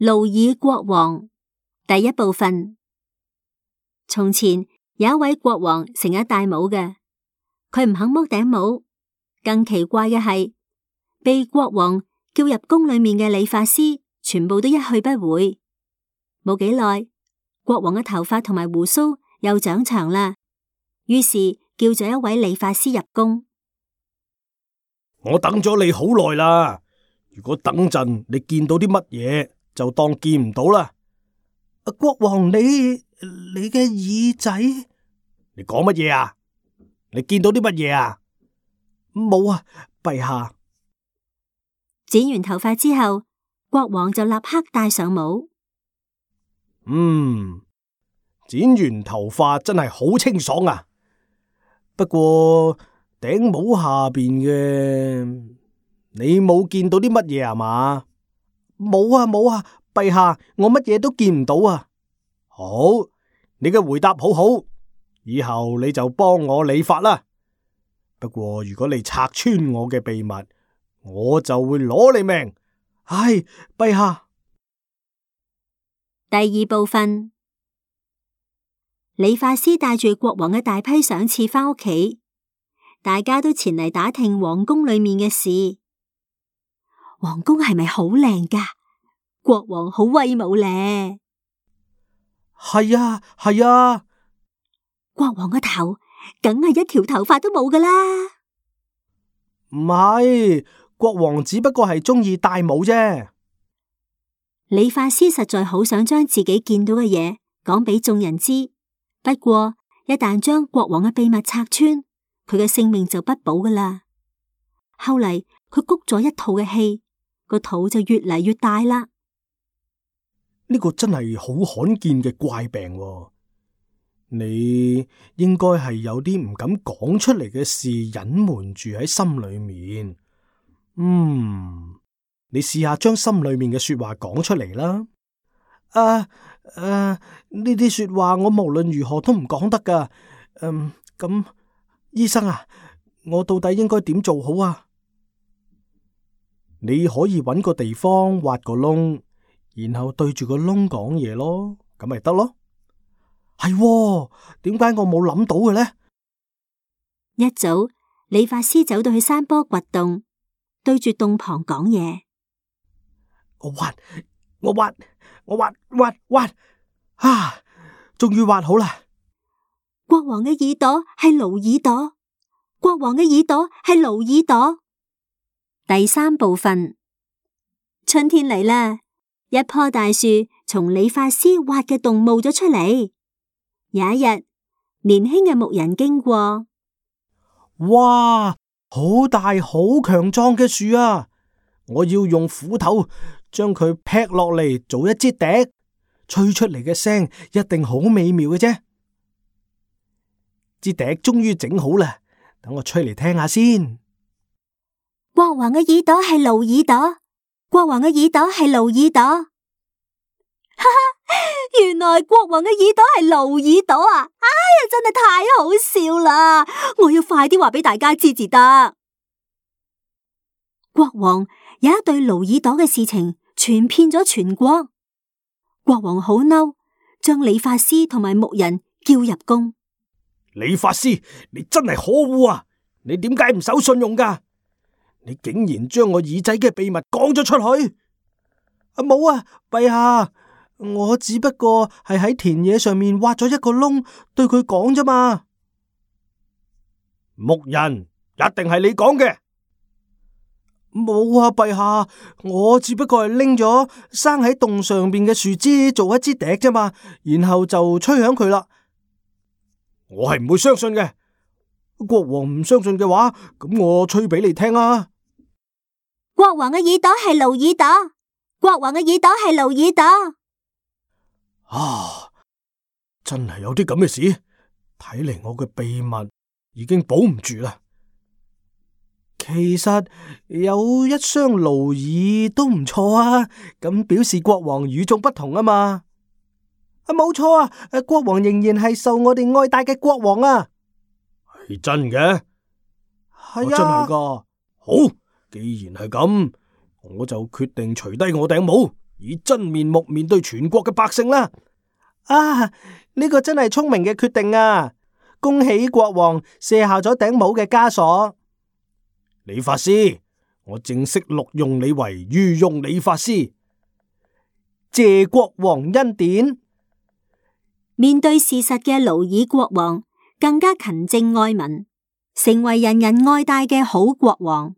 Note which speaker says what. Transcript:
Speaker 1: 勞爾國王第一部分。從前有一位國王成日戴帽嘅，佢唔肯剝頂帽。更奇怪嘅係，被國王叫入宮裏面嘅理髮師，全部都一去不回。冇幾耐，國王嘅頭髮同埋鬍鬚又長長啦，於是叫咗一位理髮師入宮。
Speaker 2: 我等咗你好耐啦，如果等陣你見到啲乜嘢，就當見唔到啦。
Speaker 3: 國王，你嘅耳仔？
Speaker 2: 你講乜嘢啊？你見到啲乜嘢啊？
Speaker 3: 冇啊，陛下。
Speaker 1: 剪完頭髮之後，國王就立刻戴上帽。
Speaker 2: 剪完頭髮真係好清爽啊！不過頂帽下邊嘅，你冇見到啲乜嘢啊嘛？
Speaker 3: 冇啊，冇啊，陛下，我乜嘢都見唔到啊！
Speaker 2: 好，你嘅回答好好，以後你就幫我理髮啦。不過如果你拆穿我嘅秘密，我就會攞你命。
Speaker 3: 唉，陛下。
Speaker 1: 第二部分，理髮師帶住國王嘅大批賞賜返屋企，大家都前嚟打聽皇宮裏面嘅事。皇宮係咪好靚㗎？國王好威武咧。
Speaker 3: 係啊，係啊。
Speaker 1: 國王嘅頭梗係一條頭髮都冇㗎啦。
Speaker 3: 唔係，國王只不過係中意戴帽啫。
Speaker 1: 理髮師實在好想將自己見到嘅嘢講俾眾人知，不過一旦將國王嘅秘密拆穿，佢嘅性命就不保㗎啦。後嚟佢谷咗一肚嘅氣，個肚就越嚟越大啦。
Speaker 2: 呢個真係好罕見嘅怪病喎。你應該係有啲唔敢講出嚟嘅事隱瞞住喺心裏面。你試下將心裏面嘅說話講出嚟啦。
Speaker 3: 呢啲說話我無論如何都唔講得噶。咁醫生啊，我到底應該點做好啊？
Speaker 2: 你可以揾個地方挖個窿，然後對住個窿講嘢咯，咁咪得咯。
Speaker 3: 係喎，點解我冇諗到嘅呢？
Speaker 1: 一早，理髮師走到去山坡掘洞，對住洞旁講嘢。
Speaker 3: 我挖，終於挖好啦！
Speaker 1: 國王嘅耳朵係驢耳朵，國王嘅耳朵係驢耳朵。第三部分，春天嚟啦，一棵大樹從理髮師挖嘅洞冒咗出嚟。有一日，年輕嘅牧人經過，
Speaker 3: 哇，好大好強壯嘅樹啊！我要用斧頭將佢劈落嚟做一支笛，吹出嚟嘅聲一定好美妙嘅啫。支笛終於整好啦，等我吹嚟聽下先。
Speaker 1: 國王嘅耳朵係驢耳朵，國王嘅耳朵係驢耳朵。哈哈，原來國王嘅耳朵係驢耳朵啊！哎呀，真係太好笑啦！我要快啲話俾大家知至得。國王有一對驢耳朵嘅事情傳遍咗全國，國王好嬲，將理髮師同埋牧人叫入宮。
Speaker 2: 理髮師，你真係可惡啊！你點解唔守信用噶？你竟然將我耳仔嘅秘密講咗出去！
Speaker 3: 冇啊，陛下，我只不過係喺田野上面挖咗一個窿，對佢講啫嘛。
Speaker 2: 牧人，一定係你講嘅。
Speaker 3: 冇啊，陛下，我只不過係拎咗生喺洞上邊嘅樹枝做一支笛啫嘛，然後就吹響佢啦。
Speaker 2: 我係唔會相信嘅。
Speaker 3: 國王唔相信嘅話，咁我吹俾你聽啊。
Speaker 1: 國王嘅耳朵係驢耳朵，國王嘅耳朵係驢耳朵。
Speaker 2: 啊，真係有啲咁嘅事，睇嚟我嘅秘密已經保唔住啦。
Speaker 3: 其實有一雙驢耳都唔錯啊，咁表示國王與眾不同啊嘛。冇錯啊，國王仍然係受我哋愛戴嘅國王啊。
Speaker 2: 係真嘅？
Speaker 3: 係啊，
Speaker 2: 真係㗎。好，既然係咁，我就決定除低我頂帽，以真面目面對全國嘅百姓啦。
Speaker 3: 啊，呢個真係聰明嘅決定啊！恭喜國王卸下咗頂帽嘅枷鎖。
Speaker 2: 理髮師，我正式錄用你為御用理髮師。
Speaker 3: 謝國王恩典。
Speaker 1: 面對事實嘅勞爾國王更加勤政愛民，成為人人愛戴嘅好國王。